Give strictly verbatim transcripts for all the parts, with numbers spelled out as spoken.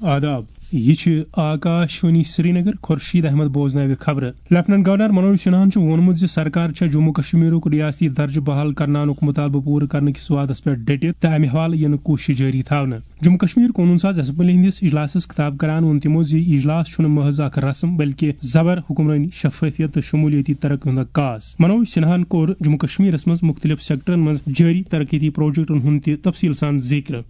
آداب، یہِ چھِ آکاش وانی سرینگر۔ خورشید احمد بوزناوِ خبرٕ۔ لیفٹیننٹ گورنر منوج سنہاہن چھُ ووٚنمُت زِ سرکار چھےٚ جموں کشمیرُک ریاستی درجہٕ بحال کرناونُک مطالبہٕ پوٗرٕ کرنہٕ کِس وعدس پٮ۪ٹھ ڈٔٹِتھ تہٕ امہِ حوالہٕ یِنہٕ کوٗشش جٲری تھاونہٕ۔ جموں کشمیر قونوٗن ساز اسمبلی ہٕنٛدِس اجلاسس خطاب کران ووٚن تِمو زِ یہِ اجلاس چھُنہٕ محض اکھ رسم بلکہِ زبر حکمرٲنی، شفافیت تہٕ شمولیتی ترقی ہُنٛد عکاس۔ منوج سنہاہن کوٚر جموں کشمیرس منٛز مُختٔلِف سیکٹرن منٛز جٲری ترقیتی پروجیکٹن ہُنٛد تہِ تفصیل سان ذِکر۔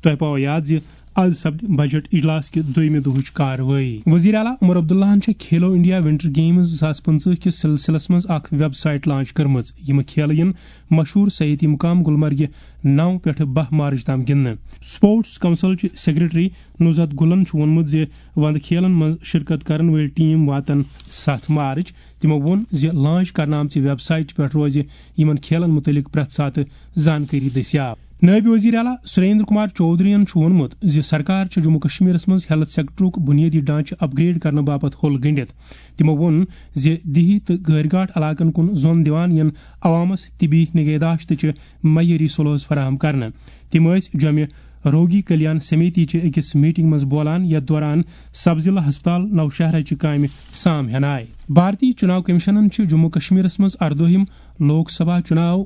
تۄہہِ پاوو یاد زِ از سپدِ بجٹ اجلاس کہِ دوٚیمہِ دۄہٕچ کاروٲیی۔ وزیر اعلیٰ عمر عبداللہن چھےٚ کھیلو انڈیا ونٹر گیمز زٕ ساس پٕنٛژٕہ کِس سلسلس منٛز اکھ ویب سائٹ لانچ کٔرمٕژ۔ یِم کھیلہٕ یِن مشہوٗر سیاحتی مقام گلمرگہِ نَو پٮ۪ٹھٕ باہ مارچ تام گِنٛدنہٕ۔ سپورٹس کونسل چہِ سیکرٹری نزہت گلن چھُ ووٚنمُت زِ وندٕ کھیلن منٛز شرکت کرن وٲلۍ ٹیم واتن ستھ مارچ۔ تِمو ووٚن زِ لانچ کرنہٕ آمژِ ویب سائٹ پٮ۪ٹھ روزِ یِمن کھیلن مُتعلق پرٛٮ۪تھ ساتہٕ زانکٲری دٔستیاب۔ نٲیِب وزیر اعلیٰ سریندر کمار چودھرین چھُ ووٚنمُت زِ سرکار چھِ جموں کشمیرس منٛز ہیلتھ سیکٹرُک بُنیٲدی ڈھانچہٕ اپ گریڈ کرنہٕ باپتھ ہوٚل گٔنٛڈِتھ۔ تِمو ووٚن زِ دیہی تہٕ غٲرۍ گاٹھ علاقن کُن زۄن دِوان یِن عوامس طبی نگہداشتٕچہِ معیٲری سہوٗلژ فراہم کرنہٕ۔ تِم ٲسۍ جوٚمہِ روگی کلیان سمیتی چہِ أکِس میٹنگ منٛز بولان، یتھ دوران سب ضلع ہسپتال نوشہرہ چہِ کامہِ سام ہٮ۪نہٕ آیہِ۔ بھارتی چُناو کمیشنن چھِ جموں کشمیرس منٛز اردٲہِم لوک سبھا چُناو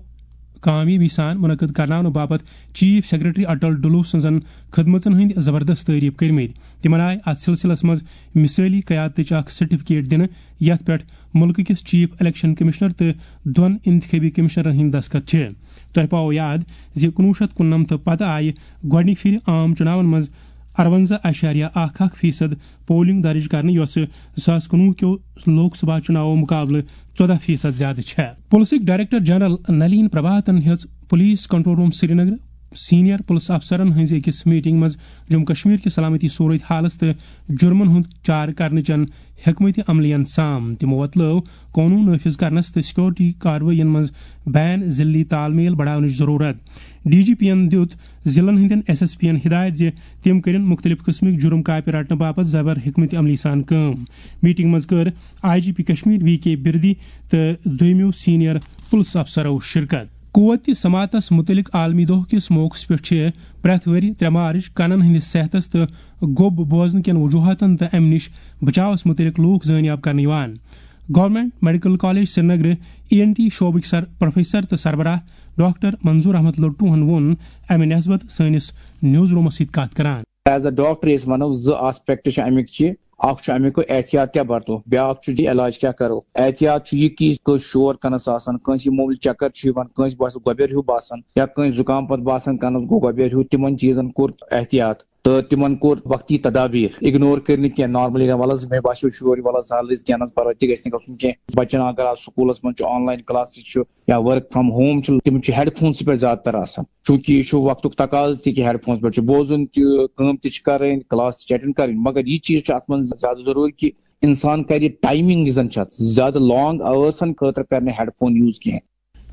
کامیٲبی سان منعقد کرناونہٕ باپتھ چیف سیکرٹری اٹل ڈلو سٕنٛزن خدمژن ہٕنٛدۍ زبردست تعریف کٔرمٕتۍ۔ تِمن آیہِ اتھ سلسلس منٛز مثٲلی قیادتٕچ اکھ سرٹیفکیٹ دِنہٕ، یتھ پٮ۪ٹھ مُلکہٕ کِس چیف الیکشن کمشنر تہٕ دۄن انتخابی کمشنرن ہٕنٛدۍ دستخط چھِ۔ تۄہہِ پاوو یاد زِ کُنوُہ شیٚتھ کُننمتھ پتہٕ آیہِ گۄڈٕنِکہِ پھِرِ عام چُناون منٛز اَرونٛزاہ اَشاریہ اَکھ اَکھ فیصد پولنگ درج کرنہٕ، یۄسہٕ زٕ ساس کُنوُہ کیو لوک سبھا چُناوو مُقابلہٕ ژۄداہ فیصد زیادٕ چھےٚ۔ پُلسٕکۍ ڈائریکٹر جنرل نلین پربھاتن ہیٚژ police control room Srinagar senior پُلس افسرن ہٕنٛزِ أکِس میٹنگ منٛز جموں کشمیر کہِ سلامتی صورت حالس تہٕ جُرمن ہُنٛد چارٕ کرنہٕ چٮ۪ن حکمت عملین سام۔ تِمو وۄتلٲو قونوٗن نافذ کرنس تہٕ سیکورٹی کاروٲیین منٛز بین ضلعی تال میل بڑاونٕچ ضروٗرت۔ ڈی جی پی ین دِیُت ضلعن ہٕنٛدٮ۪ن ایس ایس پی ین ہدایت زِ تِم کٔرِن مُختٔلِف قٕسمٕکۍ جُرم کاپہِ رٹنہٕ باپتھ زبر حکمت عملی سان کٲم۔ میٹنگ منٛز کٔر I G P Kashmir V K Birdi تہٕ دوٚیمِیو سینئر پُلس افسرو شرکت۔ قوت سماعتس مُتعلق عالمی دۄہ کِس موقعس پٮ۪ٹھ چھِ پرٛٮ۪تھ ؤرۍ ترٛےٚ مارچ کنن ہٕنٛدِس صحتس تہٕ گوٚب بوزنہٕ کٮ۪ن وجوہاتن تہٕ امہِ نِش بچاوس مُتعلق لوٗکھ زٲنیاب کرنہٕ یِوان۔ گورنمنٹ میڈیکل کالج سرینگرٕ ای این ٹی شعبٕکۍ سر پروفیسر تہٕ سربراہ ڈاکٹر منظور احمد لٹوہن ووٚن امہِ نسبت سٲنِس نیوز رومس سۭتۍ کتھ کران۔ As a doctor أسۍ ونو زٕ آسپیکٹ چھِ امیُک یہِ، اکھ چھُ امیُک احتیاط کیٛاہ برتو، بیٛاکھ چھُ یہِ علاج کیٛاہ کرو۔ احتیاط چھُ یہِ کہِ کٲنٛسہِ شور کنس آسان، کٲنٛسہِ یہِ موموٗلی چکر چھُ یِوان، کٲنٛسہِ باسہِ گۄبیر ہیوٗ باسان یا کٲنٛسہِ زُکام پتہٕ باسان کنس گوٚو گۄبیر ہیوٗ، تِمن چیٖزن کوٚر احتیاط۔ تہٕ تِمن کوٚر وقتی تدابیر، اگنور کٔرۍ نہٕ کینٛہہ۔ نارملی وَلہٕ حظ مےٚ باسیو شور، وَلہٕ حظ حال حظ کینٛہہ نہ حظ پرواے، تہِ گژھِ نہٕ گژھُن کینٛہہ۔ بچن اگر آز سکوٗلس منٛز چھُ، آن لاین کلاسز چھُ یا ورک فرام ہوم چھُ، تِم چھِ ہیڈ فونسٕے پٮ۪ٹھ زیادٕ تر آسان، چوٗنٛکہِ یہِ چھُ وقتُک تقاضہٕ تہِ کہِ ہیڈ فونس پٮ۪ٹھ چھُ بوزُن تہِ، کٲم تہِ چھِ کرٕنۍ، کلاس تہِ چھِ اٹینڈ کرٕنۍ۔ مگر یہِ چیٖز چھُ اتھ منٛز زیادٕ ضروٗری کہِ انسان کرِ ٹایمنگ یُس زن چھِ اتھ، زیادٕ لانگ آوٲرسن خٲطرٕ کرِ نہٕ ہیڈ فون یوٗز کینٛہہ۔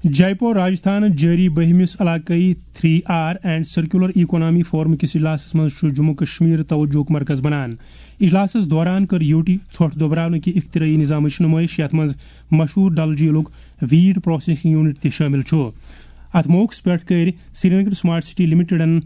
جے پور، راجستھان جٲری بٔہمِس علاقٲیی three R and circular economy forum کِس اجلاسس منٛز چھُ جموں کشمیر توجہُک مرکز بنان۔ اجلاسس دوران کٔر یوٹی ژھۄٹھ دۄبراونہٕ کہِ اختراعی نظامٕچ نمٲیش، یتھ منٛز مشہوٗر ڈل جھیلُک ویٹ پروسیسنگ یونٹ تہِ شٲمِل چھُ۔ اتھ موقعس پٮ۪ٹھ کٔرۍ سرینگر سمارٹ سٹی لمیٹڈن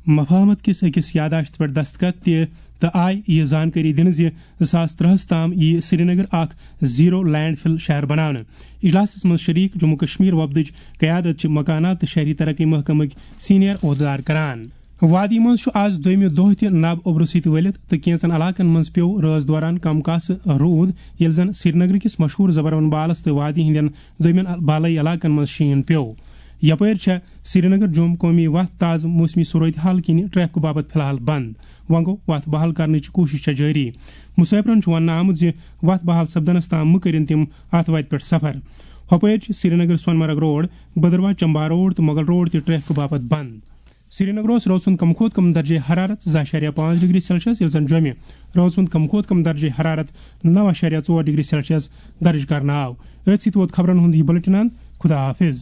مفاہمت کِس أکِس یادداشتَس پٮ۪ٹھ دستخط تہِ تہٕ آیہِ یہِ زانکٲری دِنہٕ زِ زٕ ساس ترٛہَس تام یِیہِ سرینگر اکھ زیرو لینڈ فل شہر بناونہٕ۔ اجلاسَس منٛز شریک جموں کشمیر وفدٕچ قیادت چھِ مکانات تہٕ شہری ترقی محکمٕکۍ سینئر عہدٕدار کران۔ وادی منٛز چھُ آز دوٚیمہِ دۄہ تہِ نب اوٚبرٕ سۭتۍ ؤلِتھ تہٕ کینٛژن علاقن منٛز پیوٚو رٲژ دوران کم کاسہٕ روٗد، ییٚلہِ زن سرینگر کِس مشہوٗر زبروَن بالَس تہٕ وادی ہٕنٛدٮ۪ن دوٚیمٮ۪ن بالٲیی علاقن منٛز شیٖن پیوٚو۔ یپٲرۍ چھےٚ سرینگر جوم قومی وتھ تازٕ موسمی صورت حال کِنہِ ٹریفک باپتھ فی الحال بند۔ وۄنۍ گوٚو وتھ بحال کرنٕچ کوٗشش چھےٚ جٲری۔ مسافرن چھُ وننہٕ آمُت زِ وتھ بحال سپدنس تام مہٕ کٔرِن تِم اتھ وتہِ پٮ۪ٹھ سفر۔ ہۄپٲرۍ چھِ سرینگر سونمرگ روڈ، بدرواہ چمبہ روڈ تہٕ مغل روڈ تہِ ٹریفک باپتھ بند۔ سرینگرس رٲژ ہُنٛد کم کھۄتہٕ کم درجہ حرارت زٕ اعشاریہ پانٛژھ ڈگری سیلسیس، ییٚلہِ زن جوٚمہِ رٲژ ہُنٛد کم کھۄتہٕ کم درجہ حرارت نَو اعشاریہ ژور ڈگری سیلسیس درج کرنہٕ آو۔ أتھۍ سۭتۍ ووت خبرن ہُنٛد یہِ بلیٹن اند۔ خدا حافظ۔